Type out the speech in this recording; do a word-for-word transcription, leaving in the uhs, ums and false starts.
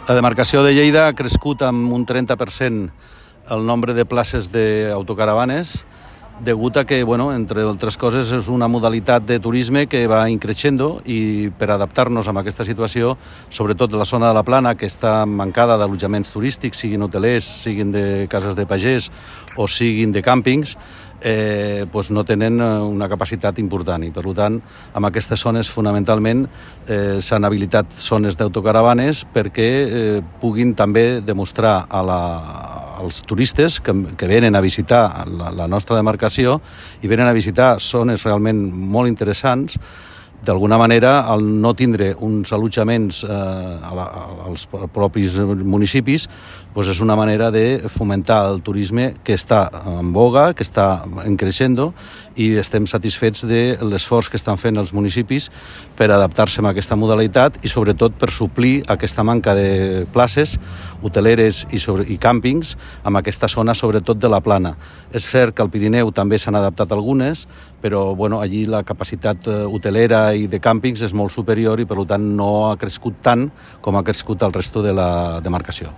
La demarcació de Lleida ha crescut amb un trenta per cent el nombre de places d'autocaravanes, degut a que, bueno, entre altres coses, és una modalitat de turisme que va increixendo i per adaptar-nos a aquesta situació, sobretot la zona de la Plana, que està mancada d'allotjaments turístics, siguin hotelers, siguin de cases de pagès o siguin de càmpings, eh, doncs no tenen una capacitat important i, per tant, en aquestes zones fonamentalment eh, s'han habilitat zones d'autocaravanes perquè eh, puguin també demostrar a la els turistes que, que venen a visitar la, la nostra demarcació i venen a visitar zones realment molt interessants. D'alguna manera, al no tindre uns allotjaments eh, a la, als propis municipis, doncs és una manera de fomentar el turisme que està en boga, que està en creixendo, i estem satisfets de l'esforç que estan fent els municipis per adaptar-se a aquesta modalitat i sobretot per suplir aquesta manca de places hoteleres i, sobre, i càmpings en aquesta zona, sobretot de la Plana. És cert que al Pirineu també s'han adaptat algunes, però bueno, allí la capacitat hotelera i de càmpings és molt superior i per tant no ha crescut tant com ha crescut el resto de la demarcació.